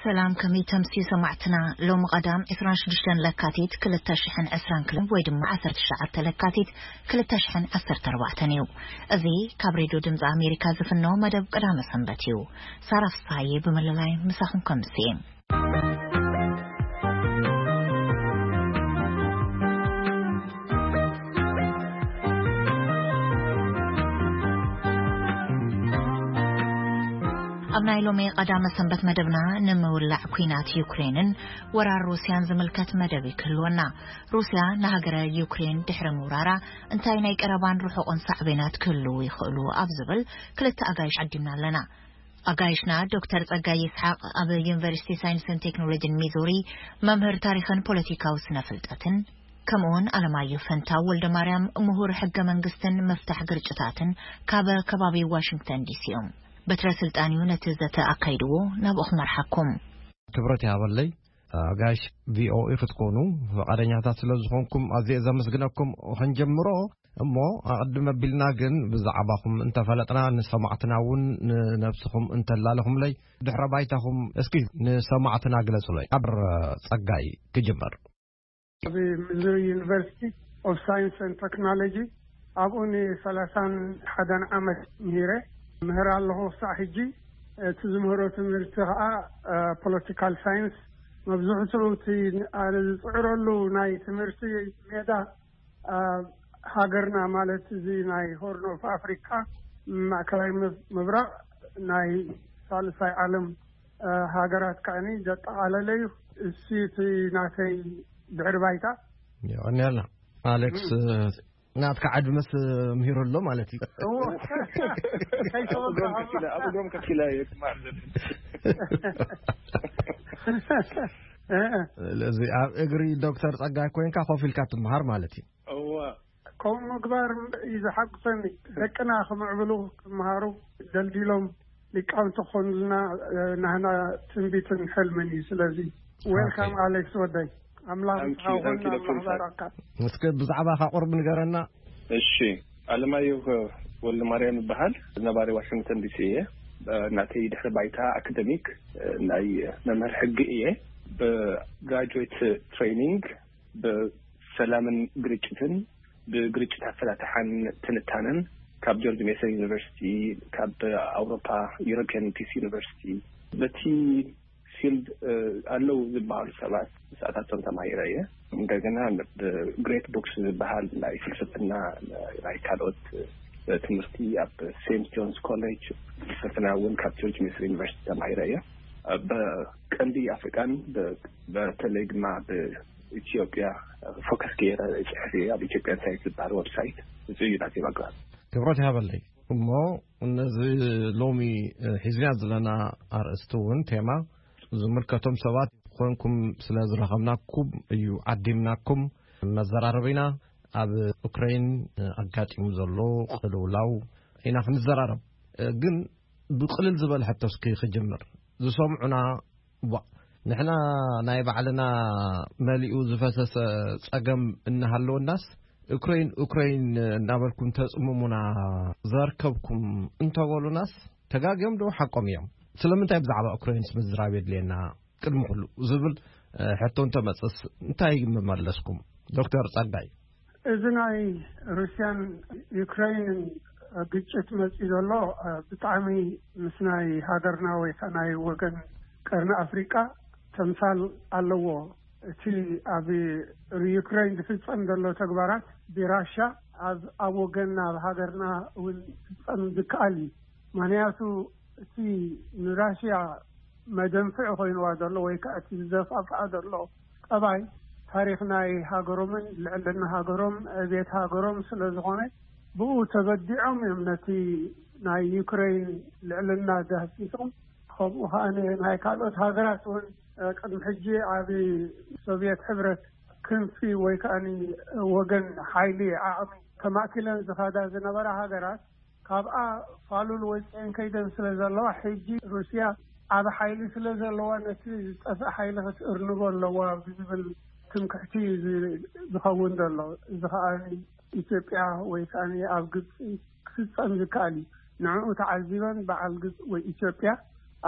ሰላም፣ ከመይ ተምስዩ ሰማዕትና? ሎሚ ቀዳም ዕስራን ሽዱሽተን ለካቲት ክልተ ሽሕን ዕስራን ክልተ ወይ ድማ ዓሰርተ ትሽዓተ ለካቲት ክልተ ሽሕን ዓሰርተ ኣርባዕተን እዩ። እዚ ካብ ሬድዮ ድምፂ ኣሜሪካ ዝፍኖ መደብ ቀዳመ ሰንበት እዩ። ሳራ ፍስሃዬ ብምልላይ ምሳኹም ከምስየ። ኣብ ናይ ሎሚ ቀዳመ ሰንበት መደብና ንምውላዕ ኲናት ዩክሬንን ወራር ሩስያን ዝምልከት መደብ ክህልወና። ሩስያ ንሃገረ ዩክሬን ድሕሪ ምውራራ እንታይ ናይ ቀረባን ርሑቕን ሳዕቤናት ክህልዉ ይኽእሉ ኣብ ዝብል ክልተ ኣጋይሽ ዓዲምና ኣለና። ኣጋይሽና ዶክተር ጸጋይ ይስሓቕ ኣብ ዩኒቨርሲቲ ሳይንስን ቴክኖሎጂን ሚዙሪ መምህር ታሪኽን ፖለቲካዊ ስነ ፍልጠትን፣ ከምኡውን ኣለማየሁ ፈንታው ወልደ ማርያም ምሁር ሕገ መንግስትን ምፍታሕ ግርጭታትን ካብ ከባቢ ዋሽንግተን ዲሲ እዮም። በትረ ስልጣን እዩ ነቲ ዘተ ኣካይድዎ። ናብኡ ክመርሓኩም። ክብረት ይሃበለይ። ኣጋይሽ ቪኦኤ ክትኮኑ ፈቃደኛታት ስለ ዝኾንኩም ኣዝየ ዘመስግነኩም። ክንጀምሮ እሞ ኣቐድም ኣቢልና ግን ብዛዕባኹም እንተፈለጥና ንሰማዕትና እውን ንነብስኹም እንተላለኹምለይ ድሕረ ባይታኹም እስኪ ንሰማዕትና ግለጹለይ። ካብ ጸጋይ ክጅመር። ኣብ ሚዙሪ ዩኒቨርሲቲ ኦፍ ሳይንስ ኤንድ ቴክኖሎጂ ኣብኡ ንሰላሳን ሓደን ዓመት ምሂረ ምህር ኣለኹ ክሳዕ ሕጂ። እቲ ዝምህሮ ትምህርቲ ከዓ ፖለቲካል ሳይንስ። መብዝሕትኡ እቲ ኣነ ዝፅዕረሉ ናይ ትምህርቲ ሜዳ ኣብ ሃገርና ማለት እዚ ናይ ሆርን ኦፍ ኣፍሪካ ማእከላይ ምብ- ምብራቕ ናይ ሳልሳይ ዓለም ሃገራት ከዓኒ ዘጠቓለለ እዩ። እሱ እቲ ናተይ ድሕሪ ባይታ። የቐንየልና ኣሌክስ። ናትካ ዓድመስ ምሂሩ ኣሎ ማለት እዩ። እዎ። ከይተወግዐ ኣእምሮም ከፊላ ኣእምሮም ከፊላ እየ ክመሃር ዘለኒ። ስለዚ ኣብ እግሪ ዶክተር ጸጋይ ኮይንካ ኮፍ ኢልካ ትመሃር ማለት እዩ። እዋ። ከምኡ ምግባር እዩ ዘሓጉሰኒ። ደቅና ክምዕብሉ ክመሃሩ ደልዲሎም ሊቃውንቲ ክኾኑልና ናህና ትንቢትን ሕልምን እዩ። ስለዚ ዌልካም ኣሌክስ ወደይ። ኣምላኽ እስከ ብዛዕባኻ ቁርብ ንገረና። እሺ። ኣለማየሁ ወልደማርያም ይበሃል። ነባሪ ዋሽንግተን ዲሲ እየ። ናተይ ድሕሪ ባይታ ኣካደሚክ ናይ መምህር ሕጊ እየ። ብግራጁዌት ትሬኒንግ ብሰላምን ግርጭትን ብግርጭት ኣፈታትሓን ትንታነን ካብ ጆርጅ ሜሰን ዩኒቨርሲቲ፣ ካብ ኣውሮፓ ዩሮፒያን ፒስ ዩኒቨርሲቲ፣ በቲ ፊልድ ኣለዉ ዝበሃሉ ሰባት ምስኣታቶም ተማሂረ እየ። እንደገና ብግሬት ቡክስ ዝበሃል ናይ ፍልስፍና ናይ ካልኦት ትምህርቲ ኣብ ሴንት ጆንስ ኮሌጅ ፍልስፍና እውን ካብ ጆርጅ ሜሰን ዩኒቨርሲቲ ተማሂረ እየ። ብቀንዲ ኣፍሪቃን በተለይ ድማ ኢትዮጵያ ፎከስ ገይረ ጽሕፍ እየ። ኣብ ኢትዮጵያን ሳይንስ ዝበሃል ወብሳይት እዚ እዩ ናተይ ባክግራውንድ። ክብረት ይሃበለይ። እሞ ነዚ ሎሚ ሒዝና ዘለና ኣርእስቲ እውን ቴማ ዝምልከቶም ሰባት ኮንኩም ስለ ዝረኸብናኩም እዩ ዓዲምናኩም። መዘራረቢና ኣብ ኡክሬን ኣጋጢሙ ዘሎ ቅልውላው ኢና ክንዘራረብ። ግን ብቕልል ዝበለ ሕቶ እስኪ ክጅምር። ዝሰምዑና ዋ፣ ንሕና ናይ ባዕልና መሊኡ ዝፈሰሰ ጸገም እናሃለወናስ ኡክሬን ኡክሬን እናበልኩም ተጽምሙና ዘርከብኩም እንተበሉናስ ተጋግዮም ዶ ሓቆም እዮም? ስለምንታይ ብዛዕባ ኡክሬንስ ምዝራብ የድልየና ቅድሚ ኩሉ ዝብል ሕቶ እንተመጽስ እንታይ ምመለስኩም? ዶክተር ጸጋይ። እዚ ናይ ሩስያን ዩክሬንን ግጭት መጺኡ ዘሎ ብጣዕሚ ምስ ናይ ሃገርና ወይ ከዓ ናይ ወገን ቀርኒ ኣፍሪቃ ተምሳል ኣለዎ። እቲ ኣብ ዩክሬን ዝፍጸም ዘሎ ተግባራት ብራሻ ኣብ ኣብ ወገንና ኣብ ሃገርና እውን ክፍጸም ዝከኣል እዩ። ምክንያቱ እቲ ንራሽያ መደንፍዒ ኮይንዋ ዘሎ ወይ ከዓ እቲ ዝደፋፍዓ ዘሎ ጠባይ ታሪኽ ናይ ሃገሮምን ልዕልና ሃገሮም ዕቤት ሃገሮም ስለ ዝኾነ ብኡ ተበዲዖም እዮም ነቲ ናይ ዩክሬን ልዕልና ዳህሲሶም። ከምኡ ከዓ ናይ ካልኦት ሃገራት እውን ቅድሚ ሕጂ ኣብ ሶቪየት ሕብረት ክንፊ ወይ ከዓ ወገን ሓይሊ ዓቕሚ ተማእኪለን ዝኸዳ ዝነበራ ሃገራት ካብኣ ፋሉል ወፂአን ከይደን ስለ ዘለዋ ሕጂ ሩስያ ዓብ ሓይሊ ስለ ዘለዋ ነቲ ዝጠፍእ ሓይሊ ክትእርንቦ ኣለዋ ብዝብል ትምክሕቲ ዝኸውን ዘሎ። እዚ ከዓ ኢትዮጵያ ወይ ከዓ ኣብ ግብፂ ክፍፀም ዝከኣል እዩ። ንዕኡ ተዓዚበን በዓል ግብፂ ወይ ኢትዮጵያ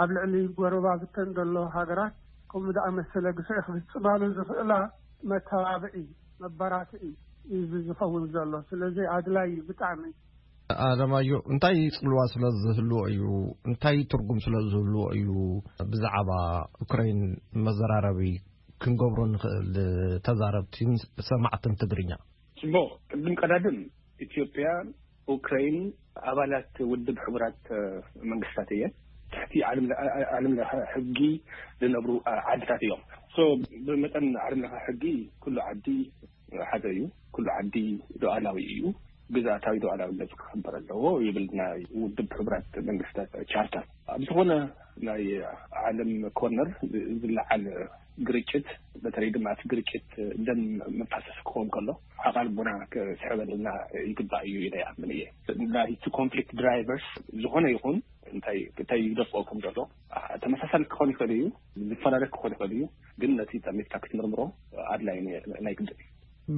ኣብ ልዕሊ ጎረባብተን ዘሎ ሃገራት ከምኡ ዝኣመሰለ ግፍዒ ክፍጽማሉ ዝኽእላ መተባብዒ፣ መበራትዒ እዩ ዝኸውን ዘሎ። ስለዚ ኣድላይ እዩ ብጣዕሚ። ኣለማዮ፣ እንታይ ጽልዋ ስለ ዝህልዎ እዩ፣ እንታይ ትርጉም ስለ ዝህልዎ እዩ ብዛዕባ ዩክሬን መዘራረቢ ክንገብሮ ንኽእል? ተዛረብቲን ሰማዕትን ትግርኛ። ጽቡቕ። ቅድም ቀዳድም፣ ኢትዮጵያ፣ ኡክራይን ኣባላት ውድብ ሕቡራት መንግስታት እየን። ትሕቲ ዓለም ለኸ ሕጊ ዝነብሩ ዓድታት እዮም። ሶ ብመጠን ዓለም ለኸ ሕጊ ኩሉ ዓዲ ሓደ እዩ። ኩሉ ዓዲ ሉዓላዊ እዩ። ግዝኣታዊ ሉዓላዊነት ክኽበር ኣለዎ ይብል ናይ ውድብ ሕቡራት መንግስታት ቻርተር። ኣብ ዝኾነ ናይ ዓለም ኮርነር ዝለዓል ግርጭት፣ በተለይ ድማ እቲ ግርጭት ደም መፋሰስ ክኸውን ከሎ፣ ዓቓል ቡና ክስሕበልና ይግባእ እዩ ኢለ ይኣምን እየ። ናይቲ ኮንፍሊክት ድራይቨርስ ዝኾነ ይኹን እንታይ እንታይ ይደፍኦ ከም ዘሎ ተመሳሳሊ ክኾን ይኽእል እዩ፣ ዝፈላለ ክኾን ይኽእል እዩ። ግን ነቲ ጠሚትካ ክትምርምሮ ኣድላይ ናይ ግድን እዩ።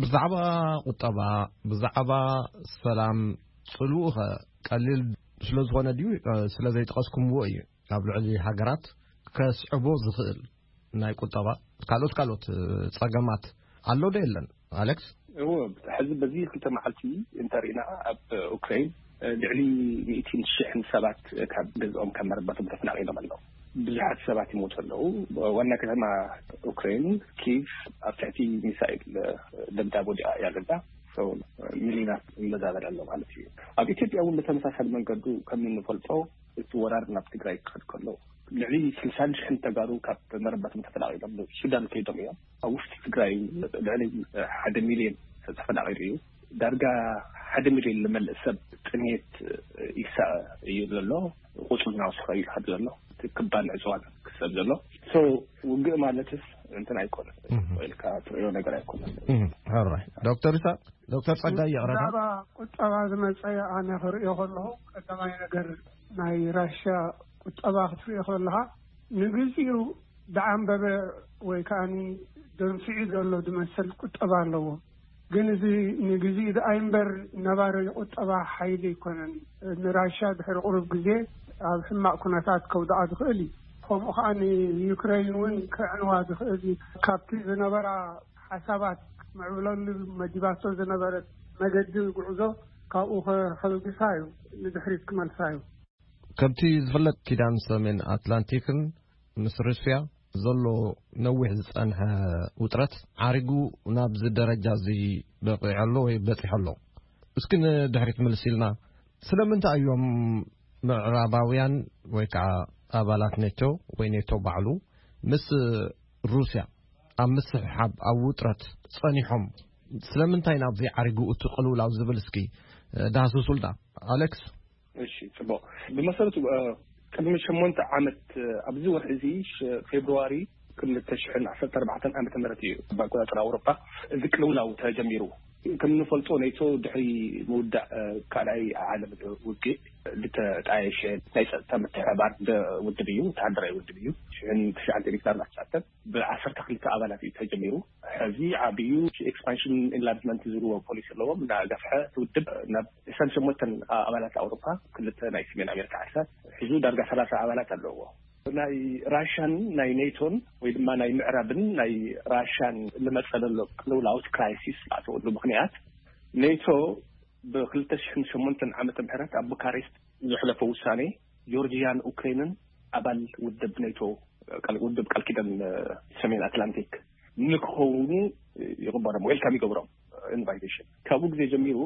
ብዛዕባ ቁጠባ፣ ብዛዕባ ሰላም ጽልውኸ ቀሊል ስለ ዝኾነ ድዩ? ስለ ዘይጠቐስኩምዎ እዩ። ኣብ ልዕሊ ሃገራት ከስዕቦ ዝኽእል ናይ ቁጠባ፣ ካልኦት ካልኦት ጸገማት ኣሎ ዶ የለን? ኣሌክስ? እዎ፣ ሕዚ በዚ ክልተ መዓልቲ እንተሪእና ኣብ ኡክራይን ልዕሊ ሚእትን ሽሕን ሰባት ካብ ገዝኦም ካብ መረበቶም ተፈናቒሎም ኣለዉ። ብዙሓት ሰባት ይሞቱ ኣለዉ። ዋና ከተማ ኡክራይን ኪቭ ኣብ ትሕቲ ሚሳይል ደብዳብ ወዲቓ እያ ዘላ። ሰው ሚሊዮናት ይመዛበል ኣሎ ማለት እዩ። ኣብ ኢትዮጵያ እውን ብተመሳሳሊ መንገዱ ከም እንፈልጦ እቲ ወራር ናብ ትግራይ ክኸድ ከሎ ልዕሊ ስልሳን ሽሕን ተጋሩ ካብ መረበቶም ተፈናቒሎም ሱዳን ከይዶም እዮም። ኣብ ውሽጢ ትግራይ ልዕሊ ሓደ ሚሊዮን ተፈናቒሉ እዩ። ዳርጋ ሓደ ሚሊዮን ልመልእ ሰብ ጥሜት ይሳቐ እዩ ዘሎ። ቁፅሩ እናወሰኸ እዩ ዝኸድ ዘሎ። እቲ ክባን ዕፅዋን ክሰብ ዘሎ። ሶ ውግእ ማለትስ እንትን ኣይኮነን። እህ። ኢልካ ትሪኦ ነገር ኣይኮነን። እህ። ኦራይት። ዶክተር ይስሐቅ፣ ዶክተር ጸጋይ ይቕረታ። ብዛዕባ ቁጠባ ዝመጸ ኣነ ክርእዮ ከለኹ፣ ቀዳማይ ነገር ናይ ራሽያ ቁጠባ ክትርእዮ ከለኻ፣ ንግዚኡ ዝዓንበበ ወይ ከኣኒ ደንፊዑ ዘሎ ዝመስል ቁጠባ ኣለዎ። ግን እዚ ንግዚኡ ደኣ እምበር ነባሪ ቁጠባ ሓይሊ ኣይኮነን። ንራሽያ ድሕሪ ቁሩብ ግዜ ኣብ ሕማቕ ኩነታት ከውድቓ ዝኽእል እዩ። ከምኡ ከኣ ንዩክሬን እውን ከዕንዋ ዝኽእል እዩ። ካብቲ ዝነበራ ሓሳባት ክትምዕብለሉ መዲባቶ ዝነበረት መገዲ ጉዕዞ ካብኡ ከ-፣ ከልግሳ እዩ፣ ንድሕሪት ክመልሳ እዩ። ከምቲ ዝፍለጥ፣ ኪዳን ሰሜን ኣትላንቲክን ምስ ሩስያ ዘሎ ነዊሕ ዝጸንሐ ውጥረት ዓሪጉ ናብዚ ደረጃ እዚ በቒዑ ኣሎ ወይ በጺሑ ኣሎ። እስኪ ንድሕሪት ምልስ ኢልና፣ ስለምንታይ እዮም ምዕራባውያን ወይ ከዓ ኣባላት ኔቶ ወይ ኔቶ ባዕሉ ምስ ሩስያ ኣብ ምስሕሓብ፣ ኣብ ውጥረት ጸኒሖም? ስለምንታይ ናብዚ ዓሪጉ እቲ ቅልውላው ዝብል እስኪ ዳህስሱልና ኣሌክስ። እሺ፣ ጽቡቕ። ብመሰረቱ፣ እ፣ ቅድሚ ሸሞንተ ዓመት፣ እ፣ ኣብዚ ወርሒ እዚ፣ ሽ-፣ ፌብሩዋሪ ክልተ ሽሕን ዓሰርተ ኣርባዕተን ዓመተ ምህረት እዩ፣ ብኣቆጻጽራ ኣውሮጳ፣ እዚ ቅልውላው ተጀሚሩ። ከም እንፈልጦ፣ ኔቶ ድሕሪ ምውዳእ፣ እ፣ ካልኣይ ዓለም ውግእ ዝተጣየሸ ናይ ጸጥታ ምትሕብባር ደ-፣ ውድብ እዩ፣ ወተሃደራዊ ውድብ እዩ። ሽሕን ትሽዓን ሚእትን ኣርባዕን ትሽዓን ብዓሰርተ ክልተ ኣባላት እዩ ተጀሚሩ። ሕዚ ዓብዩ ኤክስፓንሽን ኢንላርጅመንት ዝብልዎ ፖሊሲ ኣለዎም። እናገፍሐ እቲ ውድብ ናብ ዕስራን ሸሞንተን ኣባላት ኣውሮፓ፣ ክልተ ናይ ሰሜን ኣሜሪካ ዓድታት ሒዙ ዳርጋ ሰላሳ ኣባላት ኣለዎ። ናይ ራሽያን ናይ ኔቶን ወይ ድማ ናይ ምዕራብን ናይ ራሽያን ልመጸ ዘሎ ቅልውላውት ክራይሲስ ኣተወሉ ምኽንያት ኔቶ ብክልተ ሽሕን ሸሞንተን ዓመተ ምህረት ኣብ ቡካሬስት ዘሕለፎ ውሳኔ ጆርጂያን ኡክሬንን ኣባል ውድብ ኔቶ፣ ቃል-፣ ውድብ ቃል ኪዳን፣ እ፣ ሰሜን ኣትላንቲክ ንክኸውኑ ይቕበሎም፣ ዌልካም ይገብሮም፣ ኢንቫይቴሽን። ካብኡ ግዜ ጀሚሩ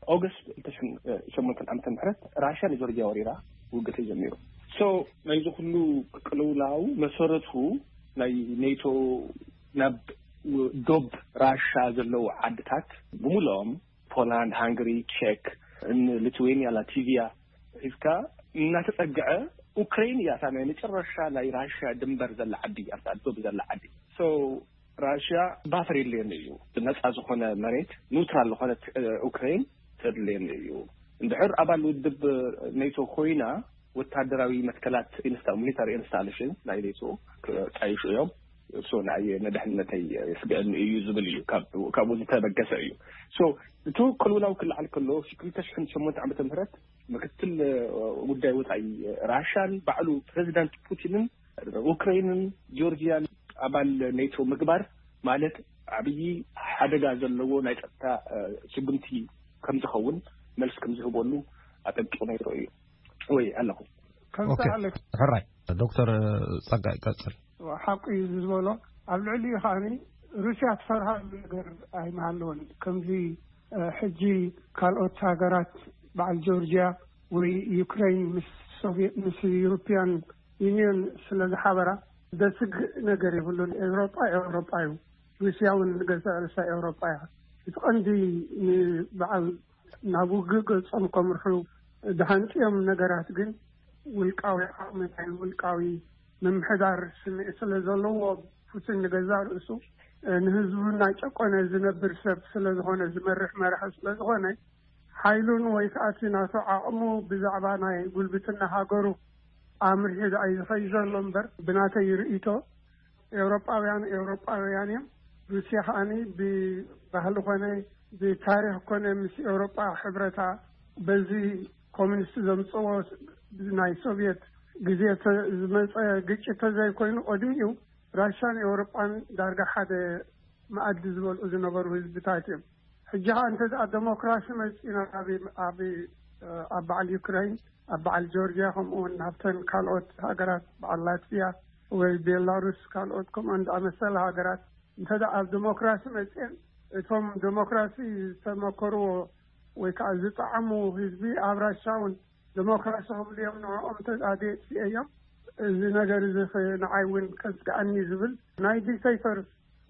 ኦገስት ክልተ ሽሕን ሸሞንተን ዓመተ ምህረት ራሽያ ንጆርጂያ ወሪራ ውግእ ተጀሚሩ። ሶ ናይዚ ኩሉ ቅልውላው መሰረቱ ናይ ኔቶ ናብ ዶብ ራሻ ዘለዉ ዓድታት ብምልኦም ፖላንድ፣ ሃንገሪ፣ ቼክ፣ ን-፣ ሊትዌንያ፣ ላትቪያ ሒዝካ እናተጸግዐ ኡክሬን እያ እታ ናይ መጨረሻ ናይ ራሽያ ድንበር ዘላ ዓዲ፣ ኣብታ ዶብ ዘላ ዓዲ። ሶ ራሽያ ባፈር የድልየኒ እዩ፣ ነጻ ዝኾነ መሬት፣ ኒውትራል ዝኾነት፣ እ፣ ኡክሬን ተድልየኒ እዩ። እንድሕር ኣባል ውድብ ኔቶ ኮይና ወታደራዊ መትከላት ኢንስታ-፣ ሚሊታሪ ኢንስታሌሽን ናይ ኔቶ ክጣይሹ እዮም። እሱ ንዓይ ንድሕነተይ የስግአኒ እዩ ዝብል እዩ። ካብ-፣ ካብኡ ዝተበገሰ እዩ። ሶ እቲ ቅልውላው ክለዓል ከሎ ክልተ ሽሕን ሸሞንተ ዓመተ ምህረት ምክትል ጉዳይ ወፃኢ ራሻን ባዕሉ ፕሬዚዳንት ፑቲንን ኡክራይንን ጆርጂያን ኣባል ኔቶ ምግባር ማለት ዓብዪ ሓደጋ ዘለዎ ናይ ፀጥታ ስጉምቲ ከምዝኸውን መልስ ከምዝህበሉ ኣጠንቂቑ ነይሩ እዩ ወይ ኣለኹ። ከምዚ ሕራይ ዶክተር ፀጋ ይቀፅል። ሓቁ እዩ ዝበሎ። ኣብ ልዕሊኡ ከዓኒ ሩስያ ትፈርሃሉ ነገር ኣይመሃለወን። ከምዚ ሕጂ ካልኦት ሃገራት በዓል ጆርጂያ ወይ ዩክሬን ምስ ሶቪየት ምስ ዩሮፒያን ዩኒየን ስለ ዝሓበራ ዘስግእ ነገር የብሉን። ኤውሮጳ ኤውሮጳ እዩ። ሩስያ እውን ንገዛእ ርእሳ ኤውሮጳ እያ። እቲ ቀንዲ ንበዓል ናብ ውግእ ገጾም ከምርሑ ዝሃንጥዮም ነገራት ግን ውልቃዊ ዓቕሚ ናይ ውልቃዊ ምምሕዳር ስምዒት ስለ ዘለዎ ፑቲን ንገዛእ ርእሱ ንህዝቡ እናጨቆነ ዝነብር ሰብ ስለ ዝኾነ ዝመርሕ መራሒ ስለ ዝኾነ ሓይሉን ወይ ከዓ እቲ ናቱ ዓቕሙ ብዛዕባ ናይ ጉልብትና ሃገሩ ኣምርሒ ደኣ እዩ ዝኸይድ ዘሎ እምበር ብናተይ ርእይቶ ኤውሮጳውያን ኤውሮጳውያን እዮም። ሩስያ ከዓኒ ብባህሊ ኮነ ብታሪኽ ኮነ ምስ ኤውሮጳ ሕብረታ በዚ ኮሚኒስት ዘምፅዎ ናይ ሶቪየት ግዜ ዝመፀ ግጭት ተዘይኮይኑ ቅድሚኡ ራሻን ኤውሮጳን ዳርጋ ሓደ መኣዲ ዝበልዑ ዝነበሩ ህዝብታት እዮም። ሕጂ ከዓ እንተ ደኣ ዴሞክራሲ መፂና ኣብ ኣብ ኣብ በዓል ዩክራይን ኣብ በዓል ጆርጅያ ከምኡ እውን ናብተን ካልኦት ሃገራት በዓል ላትቪያ ወይ ቤላሩስ ካልኦት ከምኦን ዝኣመሰለ ሃገራት እንተ ደኣ ኣብ ዴሞክራሲ መፅኤን እቶም ዴሞክራሲ ዝተመከርዎ ወይ ከዓ ዝጠዓሙ ህዝቢ ኣብ ራሻ እውን ዴሞክራሲ ክብሉ እዮም ንዕኦም ተጣዴ እዮም። እዚ ነገር እዚ ንዓይ እውን ከስግኣኒ ዝብል ናይ ዲክተይተር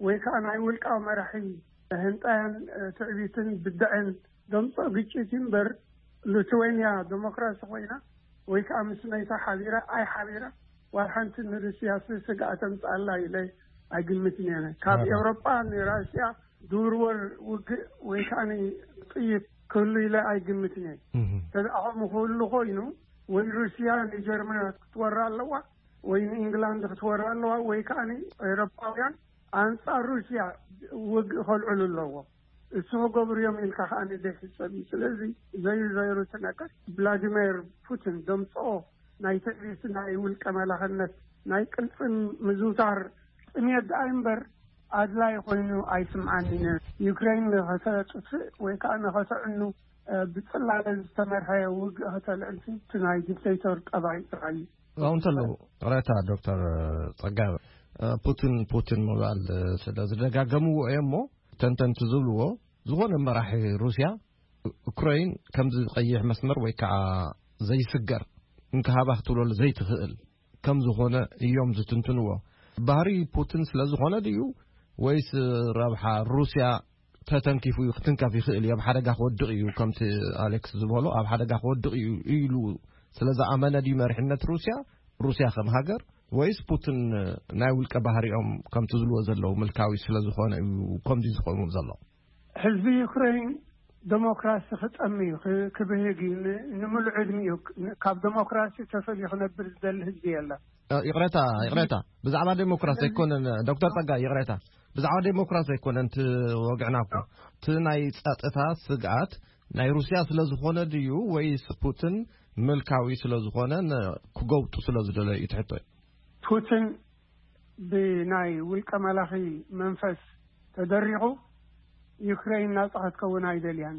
ወይ ከዓ ናይ ውልቃዊ መራሒ ህንጣያን ትዕቢትን ብድዐን ዘምፅኦ ግጭት እዩ እምበር ሉትዌንያ ዴሞክራሲ ኮይና ወይ ከዓ ምስ ናይታ ሓቢራ ኣይ ሓቢራ ዋል ሓንቲ ንሩስያ ስስግኣ ተምፅኣላ ኢለ ኣይግምትን እየ። ካብ ኤውሮጳ ንራሽያ ዝውርወር ውግእ ወይ ከዓ ጥይት ክህሉ ኢለ ኣይግምትን እየ። ተዝኣኸሙ ክህሉ ኮይኑ ወይ ሩስያ ንጀርመን ክትወራ ኣለዋ ወይ ንኢንግላንድ ክትወራ ኣለዋ ወይ ከዓ ኤውሮጳውያን ኣንፃር ሩስያ ውግእ ከልዕሉ ኣለዎ። እሱ ክገብሩ እዮም ኢልካ ከዓ ዘይሕሰብ እዩ። ስለዚ ዘዩ ዘይሩ ትነቀር ቭላዲሚር ፑቲን ደምፅኦ ናይ ትዕቢት ናይ ውልቀ መላኽነት ናይ ቅልፅም ምዝውታር ጥሜት ደኣ እምበር ኣድላይ ኮይኑ ኣይስምዓን። ዩክሬን ንኸተጥፍእ ወይ ከዓ ንኸተዕኑ ብፅላለ ዝተመርሐ ውግእ ከተልዕልሲ እቲ ናይ ዲክተይተር ጠባይ ጥራይ እዩ። ኣብኡ እንተለዉ ቅሬታ ዶክተር ፀጋ ፑቲን ፑቲን ምባል ስለ ዝደጋገምዎ እየ እሞ ተንተንቲ ዝብልዎ ዝኾነ መራሒ ሩስያ ዩክሬን ከምዚ ቀይሕ መስመር ወይ ከዓ ዘይስገር እንክሃባ ክትብለሉ ዘይትኽእል ከም ዝኾነ እዮም ዝትንትንዎ። ባህሪ ፑቲን ስለ ዝኾነ ድዩ ወይስ ረብሓ ሩስያ ተተንኪፉ እዩ ክትንከፍ ይኽእል እዩ ኣብ ሓደጋ ክወድቕ እዩ ከምቲ ኣሌክስ ዝበሎ ኣብ ሓደጋ ክወድቕ እዩ ኢሉ ስለ ዝኣመነ ድዩ መሪሕነት ሩስያ ሩስያ ከም ሃገር ወይስ ፑቲን ናይ ውልቀ ባህሪኦም ከምቲ ዝልዎ ዘለዉ ምልካዊ ስለ ዝኾነ እዩ ከምዚ ዝኸውን ዘሎ? ህዝቢ ዩክሬን ዴሞክራሲ ክጠሚ እዩ ክብህግ እዩ ንምሉእ ዕድሚኡ ካብ ዴሞክራሲ ተፈልዩ ክነብር ዝደሊ ህዝቢ የለን። ይቕረታ ይቕረታ ብዛዕባ ዴሞክራሲ ኣይኮነን ዶክተር ጸጋ ይቕረታ ብዛዕባ ዴሞክራሲ ኣይኮነን ትወግዕና እኮ እቲ ናይ ጸጥታ ስግኣት ናይ ሩስያ ስለ ዝኾነ ድዩ ወይስ ፑቲን ምልካዊ ስለ ዝኾነ ክገብጡ ስለ ዝደለዩ እዩ ትሕቶ ፑቲን ብናይ ውልቀ መላኺ መንፈስ ተደሪኹ ዩክሬን ናጻ ክትከውን ኣይደልያን።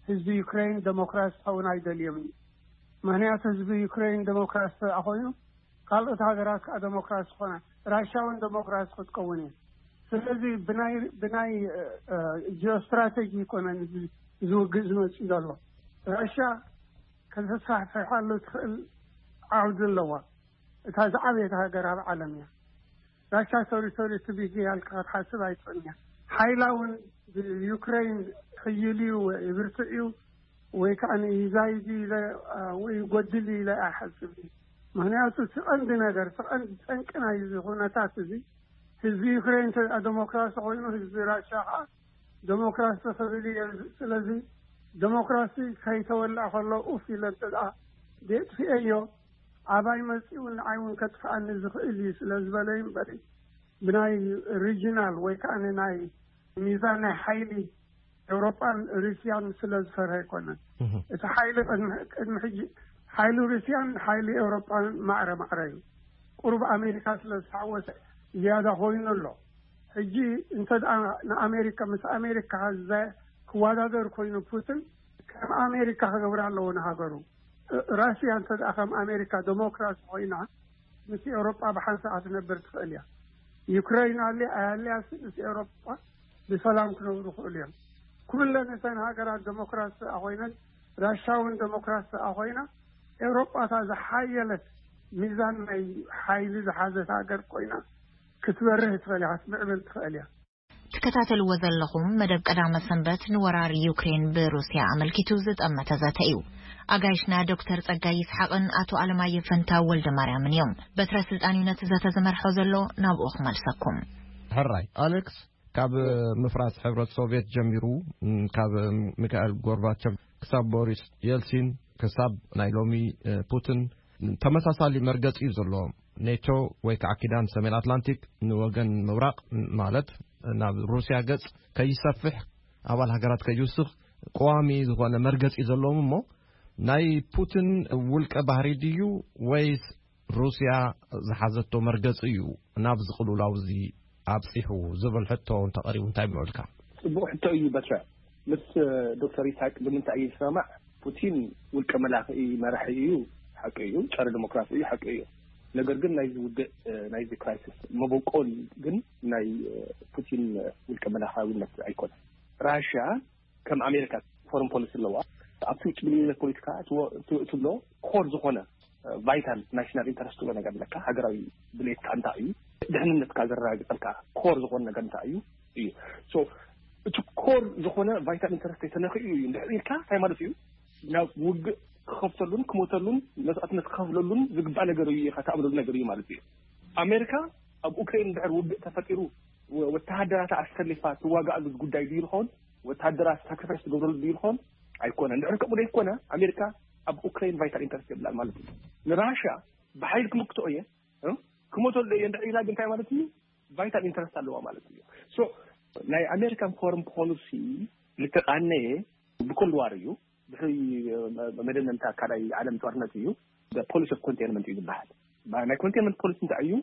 ህዝቢ ዩክሬን ዴሞክራሲ ክኸውን ኣይደልዮም እዩ። ምክንያቱ ህዝቢ ዩክሬን ዴሞክራሲ ተኣ ኮይኑ ካልኦት ሃገራት ከዓ ዴሞክራሲ ክኾና ራሽያ እውን ዴሞክራሲ ክትከውን እየ። ስለዚ ብናይ ብናይ ጂኦስትራቴጂ ይኮነን ዝውግእ ዝመፅእ ዘሎ። ራሽያ ከተስፋሕፍሓሉ ትኽእል ዓውዲ ኣለዋ። እታ ዝዓበየት ሃገር ኣብ ዓለም እያ። ራሻ ሶሪ ሶሪ ትቢጊ ያልካ ክትሓስብ ኣይትኽእልን እያ። ሓይላ እውን ብዩክሬን ሕይል እዩ ይብርትዕ እዩ ወይ ከዓ ይዛይድ ኢለ ወይ ይጎድል ኢለ ኣይሓስብ እዩ። ምክንያቱ እቲ ቀንዲ ነገር እቲ ቀንዲ ጠንቂ ናይ እዚ ኩነታት እዚ ህዝቢ ዩክሬን ተ ዴሞክራሲ ኮይኑ ህዝቢ ራሻ ከዓ ዴሞክራሲ ክብል እየ። ስለዚ ዴሞክራሲ ከይተወልዐ ከሎ ኡፍ ኢለ እንተ ደኣ የጥፍኤዮ ኣባይ መፂኡ ንዓይ እውን ከጥፍኣኒ ዝኽእል እዩ ስለ ዝበለ እዩ እምበሪ ብናይ ሪጂናል ወይ ከዓ ናይ ሚዛን ናይ ሓይሊ ኤውሮጳን ሩስያን ስለ ዝፈርሀ ኣይኮነን። እቲ ሓይሊ ቅድሚ ሕጂ ሓይሊ ሩስያን ሓይሊ ኤውሮጳን ማዕረ ማዕረ እዩ። ቁሩብ ኣሜሪካ ስለ ዝሓወሰ ዝያዳ ኮይኑ ኣሎ። ሕጂ እንተ ንኣሜሪካ ምስ ኣሜሪካ ክወዳደር ኮይኑ ፑቲን ከም ኣሜሪካ ክገብር ኣለዎ ንሃገሩ። ራሽያ እንተ ከም ኣሜሪካ ዴሞክራሲ ኮይና ምስ ኤውሮጳ ብሓንሳእ ክትነብር ትኽእል እያ። ዩክሬን ኣልያ ኣያልያስ ምስ ኤውሮጳ ብሰላም ክነብሩ ይኽእሉ እዮም። ኩለን እተን ሃገራት ዴሞክራሲ ኮይነን ራሻ እውን ዴሞክራሲ ኮይና ኤውሮጳ እታ ዝሓየለት ሚዛን ናይ ሓይሊ ዝሓዘት ሃገር ኮይና ክትበርህ ትኽእል እያ፣ ክትምዕብል ትኽእል እያ። ትከታተልዎ ዘለኹም መደብ ቀዳመ ሰንበት ንወራር ዩክሬን ብሩስያ ኣመልኪቱ ዝጠመተ ዘተ እዩ። ኣጋይሽና ዶክተር ጸጋይ ይስሓቕን ኣቶ ኣለማየሁ ፈንታው ወልደ ማርያምን እዮም። በትረ ስልጣን እዩ ነቲ ዘተ ዝመርሖ ዘሎ፣ ናብኡ ክመልሰኩም። ሕራይ ኣሌክስ፣ ካብ ምፍራስ ሕብረት ሶቪየት ጀሚሩ፣ ካብ ሚካኤል ጎርባቸቭ ክሳብ ቦሪስ የልሲን ክሳብ ናይ ሎሚ ፑቲን ተመሳሳሊ መርገጺ እዩ ዘለዎም። ኔቶ ወይ ከዓ ኪዳን ሰሜን ኣትላንቲክ ንወገን ምብራቕ ማለት ናብ ሩስያ ገጽ ከይሰፍሕ ኣባል ሃገራት ከይውስኽ ቀዋሚ ዝኾነ መርገጺ ዘለዎም እሞ ናይ ፑቲን ውልቀ ባህሪ ድዩ ወይስ ሩስያ ዝሓዘቶ መርገጺ እዩ ናብ ዝቕልውላው እዚ ኣብጺሑ ዝብል ሕቶ እንተቐሪቡ እንታይ ምዕልካ? ጽቡቕ ሕቶ እዩ በትረ። ምስ ዶክተር ይስሐቅ ብምንታይ እዩ ዝሰማማዕ? ፑቲን ውልቀ መላኺ መራሒ እዩ፣ ሓቂ እዩ። ጸረ ዲሞክራሲ እዩ፣ ሓቂ እዩ። ነገር ግን ናይዚ ውግእ ናይዚ ክራይሲስ መበቆል ግን ናይ ፑቲን ውልቀ መላኻዊነት ኣይኮነን። ራሽያ ከም ኣሜሪካ ፎረን ፖሊሲ ኣለዋ። ኣብቲ ውጭ ግንኙነት ፖለቲካ ትብሎ ኮር ዝኾነ ቫይታል ናሽናል ኢንተረስት ትብሎ ነገር ኣለካ። ሃገራዊ ድሌትካ እንታይ እዩ፣ ድሕንነትካ ዘረጋግጸልካ ኮር ዝኾነ ነገር እንታይ እዩ እዩ። እቲ ኮር ዝኾነ ቫይታል ኢንተረስት ተነኺኡ እዩ እንድሕር ኢልካ እንታይ ማለት እዩ? ናብ ውግእ ክኸፍተሉን ክሞተሉን መስዋእትነት ክኸፍለሉን ዝግባእ ነገር እዩ ኢኻ ትኣምነሉ ነገር እዩ ማለት እዩ። ኣሜሪካ ኣብ ኡክሬን እንድሕር ውግእ ተፈጢሩ ወተሃደራታ ኣሰሊፋ ትዋጋኣሉ ጉዳይ ድዩ ይኸውን? ወተሃደራት ሳክሪፋይስ ትገብረሉ ድዩ ይኸውን? ኣይኮነ። እንድሕር ከምኡ ዘይኮነ ኣሜሪካ ኣብ ኡክሬን ቫይታል ኢንተረስት የብላን ማለት እዩ። ንራሽያ ብሓይል ክምክቶ እየ ክሞተሉ እየ እንድሕር ኢላ ግን እንታይ ማለት እዩ? ቫይታል ኢንተረስት ኣለዋ ማለት እዩ። ሶ ናይ ኣሜሪካን ፎረን ፖሊሲ ልተቃነየ ብኮልድ ዋር እዩ። ድሕሪ መደምደምታ ካልኣይ ዓለም ጦርነት እዩ። ፖሊሲ ኦፍ ኮንቴንመንት እዩ ዝበሃል። ናይ ኮንቴንመንት ፖሊሲ እንታይ እዩ?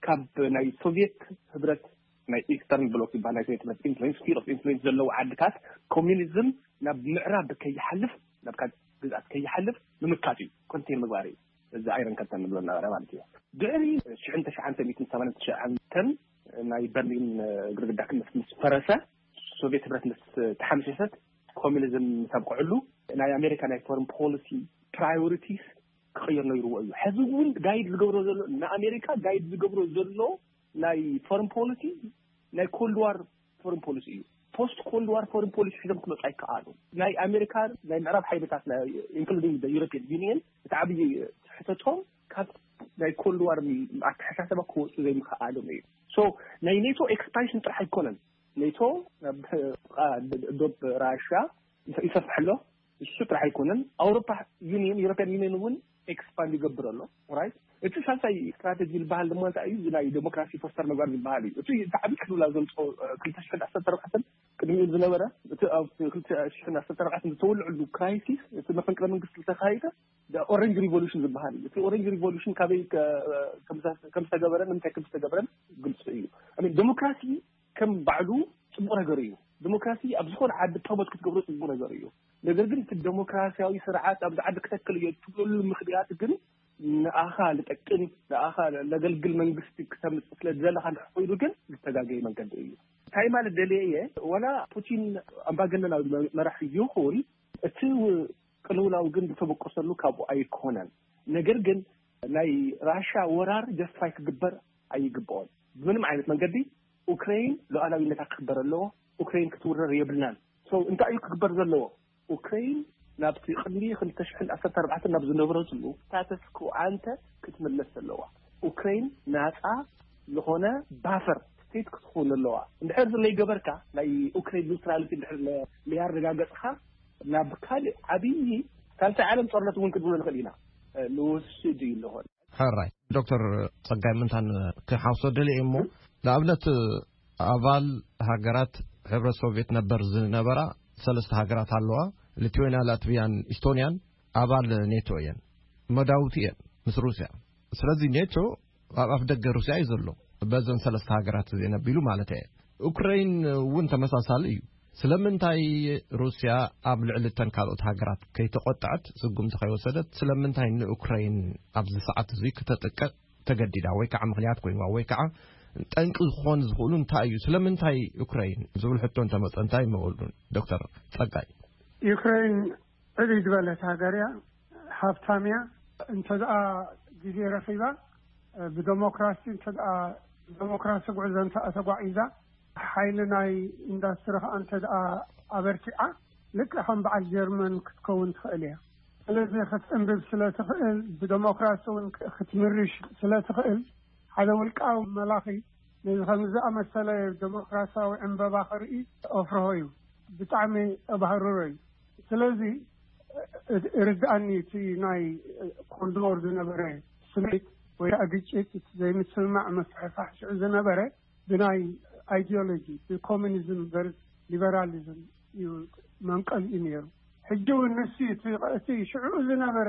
ካብ ናይ ሶቪየት ህብረት ናይ ኢስተርን ብሎክ ዝበሃል ናይ ሶቪየት ህብረት ኢንፍሉዌንስ፣ ስፊር ኦፍ ኢንፍሉዌንስ ዘለዎ ዓድታት ኮሚኒዝም ናብ ምዕራብ ከይሓልፍ፣ ናብ ካልእ ግዝኣት ከይሓልፍ ምምካት እዩ ኮንቴን ምግባር እዩ። እዚ ኣይረን ከርተን ንብሎ ነበረ ማለት እዩ። ድሕሪ ሽሕን ተሽዓን ሚእትን ሰማንያን ትሽዓን ናይ በርሊን ግርግዳ ምስ ፈረሰ፣ ሶቪየት ህብረት ምስ ተሓምሸሸት፣ ኮሚኒዝም ምስ ኣብቅዐሉ ናይ ኣሜሪካ ናይ ፎረን ፖሊሲ ፕራዮሪቲስ ክቕየር ነይርዎ እዩ። ሕዚ እውን ጋይድ ዝገብሮ ዘሎ ንኣሜሪካ ጋይድ ዝገብሮ ዘሎ ናይ ፎረን ፖሊሲ ናይ ኮልድ ዋር ፎረን ፖሊሲ እዩ። ፖስት ኮልድ ዋር ፎረን ፖሊሲ ሒዞም ክመፁ ኣይከኣሉ። ናይ ኣሜሪካ ናይ ምዕራብ ሓይልታት ኢንክሉዲንግ ዩሮፒያን ዩኒየን እቲ ዓብዪ ስሕተቶም ካብ ናይ ኮልድ ዋር ኣተሓሳሰባ ክወፁ ዘይምክኣሎም እዩ። ሶ ናይ ኔቶ ኤክስፓንሽን ጥራሕ ኣይኮነን። ኔቶ ናብ ዶብ ራሻ ይሰፍሕ ኣሎ። እሱ ጥራሕ ኣይኮነን። ኣውሮፓ ዩኒየን፣ ዩሮፒያን ዩኒየን እውን ኤክስፓንድ ይገብር ኣሎ። ራይት። እቲ ሳልሳይ ስትራቴጂ ዝበሃል ድማ እንታይ እዩ? እዚ ናይ ዴሞክራሲ ፎስተር ምግባር ዝበሃል እዩ። እቲ ዓብዪ ቅልውላው ዘምፅኦ ክልተ ሽሕን ዓሰርተ ኣርባዕተን ቅድሚኡ ዝነበረ እቲ ኣብ ክልተ ሽሕን ዓሰርተ ኣርባዕተን ዝተወልዐሉ ክራይሲስ፣ እቲ መፈንቅለ መንግስቲ ዝተኻየደ ኦረንጅ ሪቮሉሽን ዝበሃል እዩ። እቲ ኦረንጅ ሪቮሉሽን ካበይ ከም ዝተገበረ ንምንታይ ከም ዝተገበረን ግልፂ እዩ። ዴሞክራሲ ከም ባዕሉ ፅቡቕ ነገር እዩ። ዲሞክራሲ ኣብ ዝኾነ ዓዲ ፕሮሞት ክትገብሮ ፅቡቕ ነገር እዩ። ነገር ግን እቲ ዲሞክራሲያዊ ስርዓት ኣብዚ ዓዲ ክተክል እየ ትብለሉ ምኽንያት ግን ንኣኻ ልጠቅም ንኣኻ ለገልግል መንግስቲ ክተምፅእ ስለ ዝደለኻ እንድሕር ኮይኑ ግን ዝተጋገየ መንገዲ እዩ። እንታይ ማለት ደልየ እየ፣ ወላ ፑቲን ኣምባገነናዊ መራሒ ይኹን እቲ ቅልውላው ግን ዝተበቆሰሉ ካብኡ ኣይኮነን። ነገር ግን ናይ ራሻ ወራር ጀስቲፋይ ክግበር ኣይግብኦን። ብምንም ዓይነት መንገዲ ኡክሬን ሉዓላዊነታ ክክበር ኣለዎ። ኡክሬን ክትውረር የብልናን። ሶ እንታይ እዩ ክግበር ዘለዎ? ኡክሬን ናብቲ ቅድሚ ክልተ ሽሕን ዓሰርተ ኣርባዕተን ናብ ዝነበረትሉ ስታተስ ኮ ኣንተ ክትምለስ ዘለዋ። ኡክሬን ናፃ ዝኾነ ባፈር ስቴት ክትኸውን ኣለዋ። እንድሕር ዝለይ ገበርካ ናይ ኡክሬን ኒውትራሊቲ እንድሕር ለያረጋገፅካ ናብ ካልእ ዓብዪ ሳልሳይ ዓለም ጦርነት እውን ክንብሎ ንኽእል ኢና ንወስድ እዩ ኣለኾን። ሕራይ ዶክተር ጸጋይ ምንታን ክሓውሶ ደልየ እሞ ንኣብነት ኣባል ሃገራት ሕብረት ሶቪየት ነበር ዝነበራ ሰለስተ ሃገራት ኣለዋ። ሊትዌንያ፣ ላትቪያን ኢስቶንያን ኣባል ኔቶ እየን፣ መዳውቲ እየን ምስ ሩስያ። ስለዚ ኔቶ ኣብ ኣፍ ደገ ሩስያ እዩ ዘሎ፣ በዘን ሰለስተ ሃገራት እዚአን ኣቢሉ ማለት እየ። ዩክሬን እውን ተመሳሳሊ እዩ። ስለምንታይ ሩስያ ኣብ ልዕሊ እተን ካልኦት ሃገራት ከይተቆጠዐት፣ ስጉምቲ ከይወሰደት፣ ስለምንታይ ንዩክሬን ኣብዚ ሰዓት እዚ ክተጥቀ ተገዲዳ፣ ወይ ከዓ ምኽንያት ኮይንዋ፣ ወይ ከዓ ጠንቂ ክኾን ዝኽእሉ እንታይ እዩ? ስለምንታይ ዩክሬን ዝብል ሕቶ እንተመፀ እንታይ ይመበሉ? ዶክተር ጸጋይ። ዩክሬን ዕብይ ዝበለት ሃገር እያ፣ ሃብታም እያ። እንተ ደኣ ግዜ ረኺባ፣ ብደሞክራሲ እንተ ደኣ ደሞክራሲ ጉዕዞ እንተ ተጓዒዛ፣ ሓይሊ ናይ ኢንዳስትሪ ከኣ እንተ ደኣ ኣበርቲዓ፣ ልክዕ ከም በዓል ጀርመን ክትከውን ትኽእል እያ። ስለዚ ክትዕንብብ ስለ ትኽእል፣ ብደሞክራሲ እውን ክትምርሽ ስለ ትኽእል፣ ሓደ ውልቃዊ መላኺ ነዚ ከም ዝኣመሰለ ደሞክራሲያዊ ዕንበባ ክርኢ ኣፍርሆ እዩ። ብጣዕሚ ኣባህርሮ እዩ። ስለዚ እ-፣ እ-፣ ርድኣኒ እቲ ናይ ኮልድ ዎር ዝነበረ ስምዒት ወይ ከዓ ግጭት፣ እቲ ዘይምስምማዕ፣ ምፍሕፋሕ ሽዑ ዝነበረ ብናይ ኣይዲዮሎጂ፣ ብኮሚኒዝም ቨርስ ሊበራሊዝም እዩ መንቀሊኡ ነይሩ። ሕጂ እውን ንሱ እቲ፣ እቲ ሽዑ ዝነበረ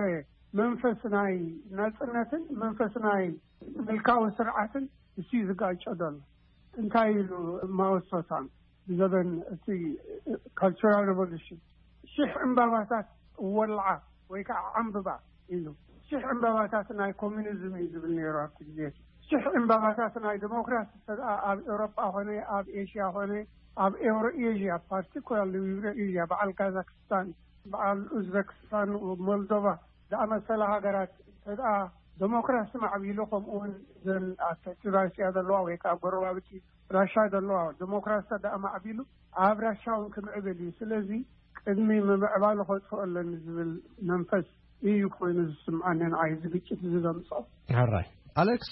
መንፈስ ናይ ናጽነትን መንፈስ ናይ ምልካዊ ስርዓትን እሱ እዩ ዝጋጨ ዘሎ። እንታይ ኢሉ ማወሶታን ብዘበን እቲ ካልቸራል ሬቮሉሽን ሽሕ ዕምባባታት ወልዓ ወይ ከዓ ዓምብባ ኢሉ፣ ሽሕ ዕምባባታት ናይ ኮሚኒዝም እዩ ዝብል ነይሩ ኣብቲ ግዜ። ሽሕ ዕምባባታት ናይ ዲሞክራሲ እንተ ደኣ ኣብ ኤውሮጳ ኾነ፣ ኣብ ኤሽያ ኾነ፣ ኣብ ኤውሮ ኤዥያ፣ ፓርቲኩላርሊ ዩሮ ኤዥያ፣ በዓል ካዛክስታን፣ በዓል ኡዝበክስታን፣ ሞልዶቫ ዝኣመሰላ ሃገራት እንተ ደኣ ዲሞክራሲ ማዕቢሉ፣ ከምኡ እውን እዘን ኣብ ትሕቲ ራሽያ ዘለዋ ወይ ከዓ ጎረባብቲ ራሻ ዘለዋ ዲሞክራሲ ደኣ ማዕቢሉ፣ ኣብ ራሻ እውን ክምዕብል እዩ። ስለዚ ቅድሚ ምምዕባሉ ከጥፍኦ ኣለኒ ዝብል መንፈስ እዩ ኮይኑ ዝስምዓኒ ንዓይ፣ እዚ ግጭት እዚ ዘምፅኦ። ሕራይ ኣሌክስ፣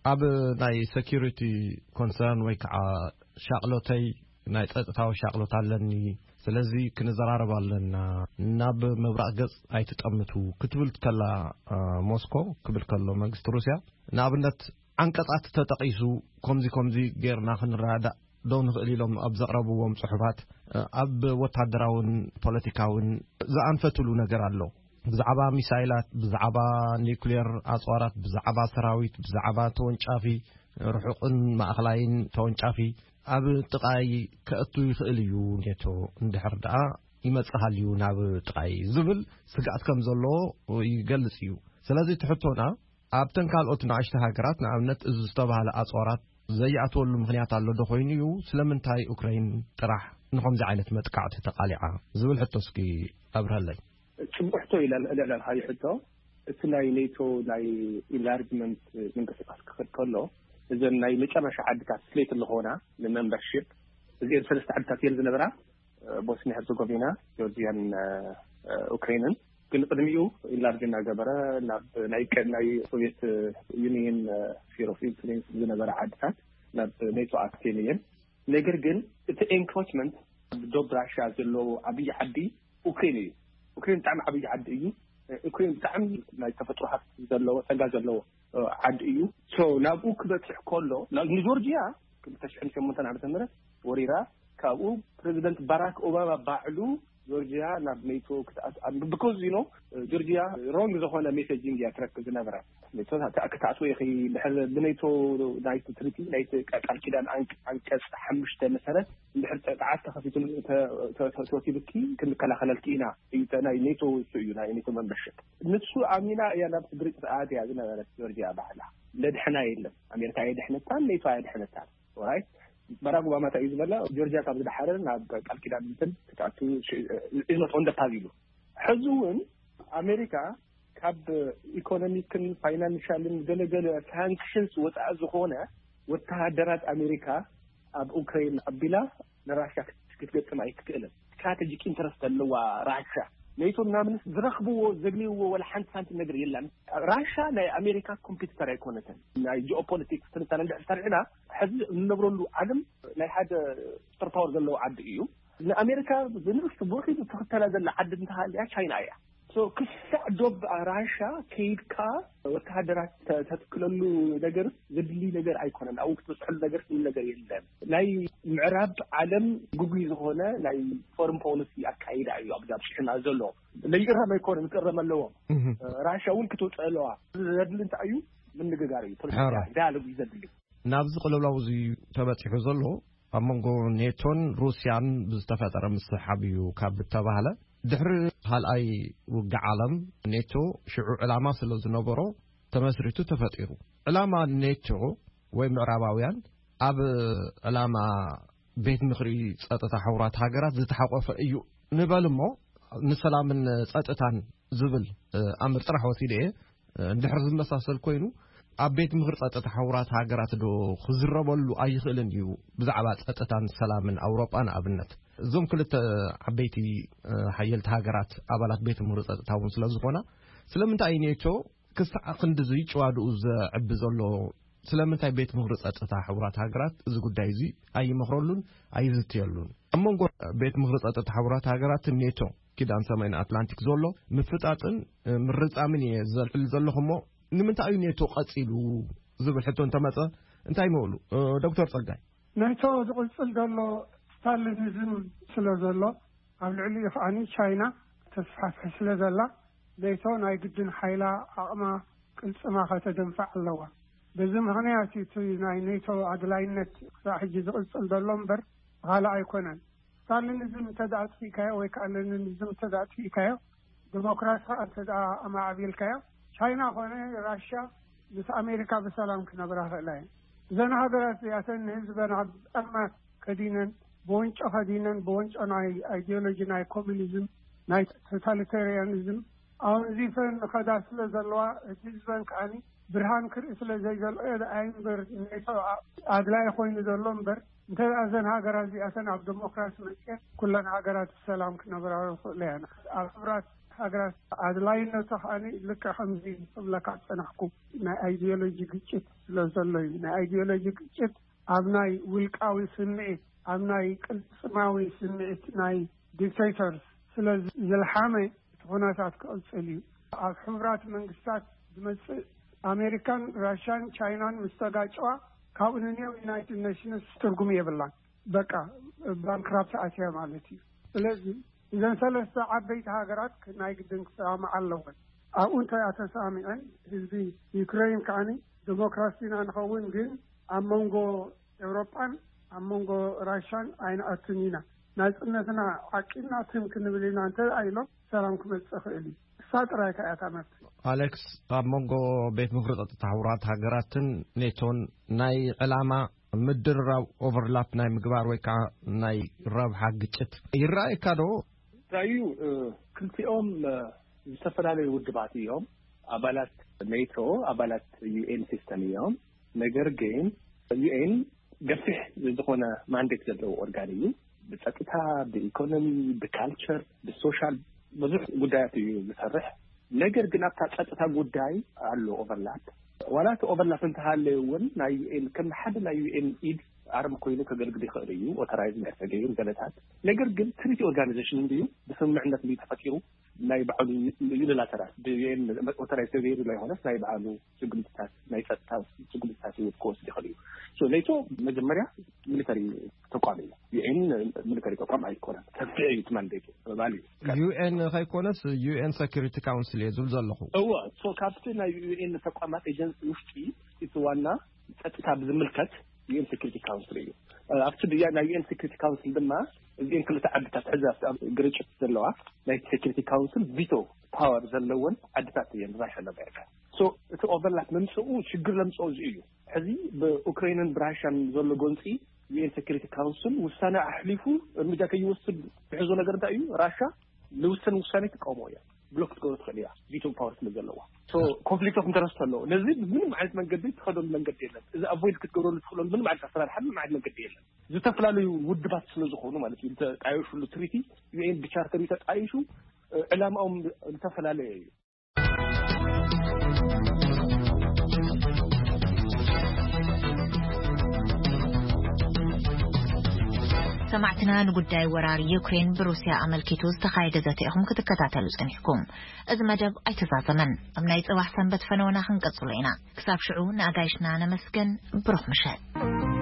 ኣብ ናይ ሴኪሪቲ ኮንሰርን ወይ ከዓ ሻቕሎተይ፣ ናይ ጸጥታዊ ሻቕሎት ኣለኒ፣ ስለዚ ክንዘራረብ ኣለና፣ ናብ ምብራቕ ገጽ ኣይትጠምቱ ክትብል ከላ፣ እ፣ ሞስኮ ክብል ከሎ መንግስቲ ሩስያ፣ ንኣብነት ዓንቀጻት ተጠቒሱ፣ ከምዚ ከምዚ ጌርና ክንረዳዳእ ዶ ንኽእል ኢሎም ኣብ ዘቕረብዎም ጽሑፋት፣ እ፣ ኣብ ወታደራውን ፖለቲካውን ዝኣንፈትሉ ነገር ኣሎ። ብዛዕባ ሚሳይላት፣ ብዛዕባ ኒውክሌር ኣጽዋራት፣ ብዛዕባ ሰራዊት፣ ብዛዕባ ተወንጫፊ፣ ርሑቕን ማእኸላይን ተወንጫፊ ኣብ ጥቓይ ከእቱ ይኽእል እዩ፣ ኔቶ እንድሕር ደኣ ይመጽእ ሃልዩ ናብ ጥቓይ ዝብል ስግኣት ከም ዘለዎ ይገልጽ እዩ። ስለዚ እቲ ሕቶና ኣብተን ካልኦት ንኣሽቱ ሃገራት፣ ንኣብነት፣ እዚ ዝተባህለ ኣጽዋራት ዘይኣትወሉ ምኽንያት ኣሎ ዶ ኮይኑ እዩ? ስለምንታይ ዩክረይን ጥራሕ ንኸምዚ ዓይነት መጥቃዕቲ ተቓሊዓ? ዝብል ሕቶ እስኪ ኣብርሀለይ። ጽቡቕ ሕቶ ኢላ ልዕልዕላልካዮ ሕቶ። እቲ ናይ ኔቶ ናይ ኢንላርጅመንት ምንቅስቃስ ክኸድ ከሎ፣ እዘን ናይ መጨረሻ ዓድታት ስሌት ዝኾና ንመምበርሺፕ፣ እዚአን ሰለስተ ዓድታት እየን ዝነበራ፣ ቦስኒያ ሄርዘጎቪና፣ ጆርጂያን፣ እ፣ ዩክሬንን። ግን ቅድሚኡ ኢንላርጅ እናገበረ ናብ ናይ ቀ-፣ ናይ ሶቪየት ዩኒየን፣ እ፣ ስፌር ኦፍ ኢንፍሉዌንስ ዝነበረ ዓድታት ናብ ኔቶ ኣትየን እየን። ነገር ግን እቲ ኤንክሮችመንት ኣብ ዶብ ራሽያ ዘለዎ ዓብዪ ዓዲ ዩክሬን እዩ። ዩክሬን ብጣዕሚ ዓብዪ ዓዲ እዩ። ዩክሬን ብጣዕሚ ናይ ተፈጥሮ ሃብቲ ዘለዎ፣ ጸጋ ዘለዎ፣ እ፣ ዓዲ እዩ። ሶ ናብኡ ክበጽሕ ከሎ፣ ና-፣ ንጆርጂያ ክልተ ሽሕን ሸሞንተን ዓመተ ምህረት ወሪራ፣ ካብኡ ፕሬዚደንት ባራክ ኦባማ ባዕሉ ጆርጂያ ናብ ኔቶ ክትኣት-፣ ኣብ-፣ because you know፣ ጆርጂያ ሮንግ ዝኾነ ሜሴጂንግ እያ ትረክብ ዝነበረ። ኔቶ ታ-፣ ታ-፣ ክትኣትዎ ኢኺ፣ ድሕሪ ብኔቶ ናይቲ ትሪቲ፣ ናይቲ ቃ-፣ ቃል ኪዳን ኣን-፣ ኣንቀጽ ሓሙሽተ መሰረት፣ እንድሕር ጸ-፣ ጸዓት ተኸፊቱ ተ-፣ ተ-፣ ተ-፣ ተወቲብኪ ክንከላኸለልኪ ኢና። እዩ፣ ተ-፣ ናይ ኔቶ እሱ እዩ፣ ናይ ኔቶ መንበርሽፕ። ንሱ ኣሚና እያ ናብ ስድሪ ጥፍኣት እያ ዝነበረት ጆርጂያ ባዕላ። ለድሕና የለን። ኣሜሪካ የድሕነታን ኔቶ ኣየድሕነታን። ኦራይት፣ ባራክ ኦባማ እንታይ እዩ ዝበለ? ጆርጂያ ካብ ዝደሓረ ናብ ቃል ኪዳን እንትን ክትኣቱ ሽ-፣ is not on the path ኢሉ። ሕዚ እውን ኣሜሪካ ካብ ኢኮኖሚክን ፋይናንሻልን ገለገለ ሳንክሽንስ ወፃኢ ዝኾነ ወተሃደራት ኣሜሪካ ኣብ ኡክራይን ኣቢላ ንራሽያ ክት-፣ ክትገጥም ኣይትክእልን። ስትራቴጂክ ኢንተረስት ኣለዋ ራሽያ። ኔቶ ምናምን ዝረኽብዎ ዘግንይዎ ወላ ሓንቲ ሳንቲም ነገር የላን። ራሽያ ናይ ኣሜሪካ ኮምፒቲተር ኣይኮነትን። ናይ ጂኦፖለቲክስ ትንታነ እንድሕር ሰሪዕና፣ ሕዚ እንነብረሉ ዓለም ናይ ሓደ ሱፐር ፓወር ዘለዎ ዓዲ እዩ። ንኣሜሪካ ብንእሽቱ ብውሒዱ ትኽተላ ዘላ ዓዲ እንተሃልያ ቻይና እያ። So ክሳዕ ዶብ ራሻ ከይድካ ወተሃደራት ተ- ተትክለሉ ነገር ዘድሊ ነገር ኣይኮነን። ኣብኡ ክትበፅሐሉ ነገር ስሉ ነገር የለን። ናይ ምዕራብ ዓለም ግጉይ ዝኾነ ናይ ፎረን ፖሊሲ ኣካይዳ እዩ ኣብዚ ኣብ ሽሕና ዘሎ። ለይእረም ኣይኮነን፣ ክእረም ኣለዎም። ራሻ እውን ክትውፅእ ኣለዋ። ዘድሊ እንታይ እዩ? ምንግጋር እዩ። ፖለቲካ ሕራይ። ዳያሎግ እዩ ዘድሊ። ናብዚ ቅልውላው እዚ ተበፂሑ ዘሎ ኣብ መንጎ ኔቶን ሩስያን ብዝተፈጠረ ምስሕሓብ እዩ ካብ ዝተባህለ ድሕሪ ካልኣይ ውግእ ዓለም ኔቶ ሽዑ ዕላማ ስለ ዝነበሮ ተመስሪቱ ተፈጢሩ። ዕላማ ኔቶ ወይ ምዕራባውያን ኣብ ዕላማ ቤት ምኽሪ ጸጥታ ሕቡራት ሃገራት ዝተሓቆፈ እዩ ንበል እሞ ንሰላምን ጸጥታን ዝብል ኣምር ጥራሕ ወሲደ እየ። እንድሕር ዝመሳሰል ኮይኑ ኣብ ቤት ምኽሪ ጸጥታ ሕቡራት ሃገራት ዶ ክዝረበሉ ኣይኽእልን እዩ? ብዛዕባ ጸጥታን ሰላምን ኣውሮጳ ንኣብነት እዞም ክልተ ዓበይቲ ሓየልቲ ሃገራት ኣባላት ቤት ምኽሪ ጸጥታ እውን ስለ ዝኾና ስለምንታይ እዩ ኔቶ ክሳዕ ክንድዚ ጭዋድኡ ዘዕቢ ዘሎ? ስለምንታይ ቤት ምኽሪ ጸጥታ ሕቡራት ሃገራት እዚ ጉዳይ እዚ ኣይመኽረሉን ኣይዝትየሉን? ኣብ መንጎ ቤት ምኽሪ ጸጥታ ሕቡራት ሃገራትን ኔቶ ኪዳን ሰሜን ኣትላንቲክ ዘሎ ምፍጣጥን ምርጻምን እየ ዘልዕል ዘለኹ እሞ ንምንታይ እዩ ኔቶ ቀጺሉ ዝብል ሕቶ እንተመጸ እንታይ ምብሉ? ዶክተር ጸጋይ። ኔቶ ዝቕጽል ዘሎ ስታሊኒዝም ስለ ዘሎ ኣብ ልዕሊኡ ከዓኒ ቻይና ተስፋፍሕ ስለ ዘላ ኔቶ ናይ ግድን ሓይላ ዓቕማ ቅልጽማ ከተደንፋዕ ኣለዋ። በዚ ምኽንያት እቲ ናይ ኔቶ ኣድላይነት ክሳዕ ሕጂ ዝቕጽል ዘሎ እምበር ብኻልእ ኣይኮነን። ስታሊኒዝም እንተ ደኣ ኣጥፊእካዮ ወይ ከዓ ለኒኒዝም እንተ ደኣ ኣጥፊእካዮ ዲሞክራሲ ከዓ እንተ ደኣ ኣማዕቢልካዮ ቻይና ኮነ ራሽያ ምስ ኣሜሪካ ብሰላም ክነብራ ክእላ እየን። እዘን ሃገራት እዚኣተን ንህዝበን ኣብ ጸልማት ከዲነን ብወንጮ ከዲነን ብወንጮ ናይ ኣይዲዮሎጂ ናይ ኮሚኒዝም ናይ ቶታሊታሪያኒዝም ኣወንዚፈን ንኸዳ ስለ ዘለዋ እቲ ህዝበን ከዓኒ ብርሃን ክርኢ ስለ ዘይዘልኦ እምበር ኔቶ ኣድላይ ኮይኑ ዘሎ እምበር እንተ እዘን ሃገራት እዚኣተን ኣብ ዲሞክራሲ መፅየን ኩለን ሃገራት ብሰላም ክነብራ ይኽእሉ እየን። ኣብ ሕቡራት ሃገራት ኣድላይነቱ ከዓኒ ልክዕ ከምዚ ክብለካ ዝፀናሕኩ ናይ ኣይዲዮሎጂ ግጭት ስለ ዘሎ እዩ። ናይ ኣይዲዮሎጂ ግጭት ኣብ ናይ ውልቃዊ ስምዒት ኣብ ናይ ቅልፅማዊ ስምዒት ናይ ዲክቴተርስ ስለ ዝልሓመ እቲ ኩነታት ክቕፅል እዩ። ኣብ ሕቡራት መንግስታት ዝመፅእ ኣሜሪካን ራሽያን ቻይናን ምስ ተጋጨዋ ካብኡ ንንየው ዩናይትድ ኔሽንስ ትርጉም የብላን። በቃ ባንክራፕት ኣትያ ማለት እዩ። ስለዚ እዘን ሰለስተ ዓበይቲ ሃገራት ናይ ግድን ክሰማምዓ ኣለወን። ኣብኡ እንተ ተሰማሚዐን ህዝቢ ዩክሬን ከዓኒ ዲሞክራሲና ንኸውን ግን ኣብ መንጎ ኤውሮጳን ኣብ መንጎ ራሻን ኣይንኣቱን ኢና። ናጽነትና ዓቂብና ትም ክንብል ኢና እንተ ኢሎም ሰላም ክመጽእ ክእል እዩ። እሳ ጥራይ ከ እያ እታ መፍትሒ። ኣሌክስ፣ ኣብ መንጎ ቤት ምኽሪ ጸጥታ ሕቡራት ሃገራትን ኔቶን ናይ ዕላማ ምድርራብ ኦቨርላፕ ናይ ምግባር ወይ ከዓ ናይ ረብሓ ግጭት ይረኣየካ ዶ? ራዩ ክልቲኦም ዝተፈላለዩ ውድባት እዮም። ኣባላት ኔቶ ኣባላት ዩኤን ሲስተም እዮም። ነገር ግን ዩኤን ገፊሕ ዝኾነ ማንዴት ዘለዎ ኦርጋን እዩ። ብጸጥታ፣ ብኢኮኖሚ፣ ብካልቸር፣ ብሶሻል ብዙሕ ጉዳያት እዩ ዝሰርሕ። ነገር ግን ኣብታ ጸጥታ ጉዳይ ኣሎ ኦቨርላፕ። ዋላ እቲ ኦቨርላፕ እንተሃለየ እውን ናይ ዩኤን ከም ሓደ ናይ ዩኤን ኢድ ኣርም ኮይኑ ከገልግል ይኽእል እዩ። ኦተራይዝ ናይ ሰገዩን ገለታት ነገር ግን ትሪቲ ኦርጋናይዜሽን እንድዩ ብስምምዕነት እንድዩ ተፈጢሩ ናይ ባዕሉ ዩኒላተራል ብዩኤን ኦተራይዝ ተገይሩ ዘይኮነስ ናይ ባዕሉ ስጉምትታት ናይ ጸጥታ ስጉምትታት ክወስድ ይኽእል እዩ። ኔቶ መጀመርያ ሚሊተሪ ተቋም እዩ። ዩኤን ሚሊተሪ ተቋም ኣይኮነን። ሰፊሕ እዩ እቲ ማንዴቱ ባል እዩ። ዩኤን ከይኮነስ ዩኤን ሰኪሪቲ ካውንስል እየ ዝብል ዘለኹ። እወ፣ ካብቲ ናይ ዩኤን ተቋማት ኤጀንሲ ውሽጢ እቲ ዋና ጸጥታ ብዝምልከት ዩኤን ሴኩሪቲ ካውንስል እዩ። ኣብቲ ናይ ዩኤን ሴኩሪቲ ካውንስል ድማ እዚኤን ክልተ ዓድታት ሕዚ ግርጭት ዘለዋ ናይ ሴኩሪቲ ካውንስል ቪቶ ፓወር ዘለወን ዓድታት እየን ራሽያን ኣሜሪካ። እቲ ኦቨርላፕ መምፅኡ ሽግር ለምፅኦ እዚ እዩ። ሕዚ ብኡክሬንን ብራሽያን ዘሎ ጎንፂ ዩኤን ሴኩሪቲ ካውንስል ውሳነ ኣሕሊፉ እርምጃ ከይወስድ ዝሕዞ ነገር እንታይ እዩ? ራሻ ንውሰን ውሳኔ ትቃውሞ እያ። ብሎክ ክትገብሮ ትኽእል እያ ቪቶ ፓወር ስለ ዘለዋ። ኮንፍሊክት ኦፍ ኢንተረስት ኣለዎ። ነዚ ብምንም ዓይነት መንገዲ ትኸደሉ መንገዲ የለን። እዚ ኣቮይድ ክትገብረሉ ትኽእለሉ ምንም ዓይነት ኣሰራርሓ ምንም ዓይነት መንገዲ የለን። ዝተፈላለዩ ውድባት ስለ ዝኾኑ ማለት እዩ። ዝተጣየሹሉ ትሪቲ ዩኤን ብቻርተር እዩ ተጣይሹ። ዕላማኦም ዝተፈላለየ እዩ። ሰማዕትና፣ ንጉዳይ ወራር ዩክሬን ብሩስያ ኣመልኪቱ ዝተኻየደ ዘተ ኢኹም ክትከታተሉ ጸኒሕኩም። እዚ መደብ ኣይተዛዘመን። ኣብ ናይ ጽባሕ ሰንበት ፈነወና ክንቀጽሎ ኢና። ክሳብ ሽዑ ንኣጋይሽና ነመስገን። ብሩኽ ምሸት።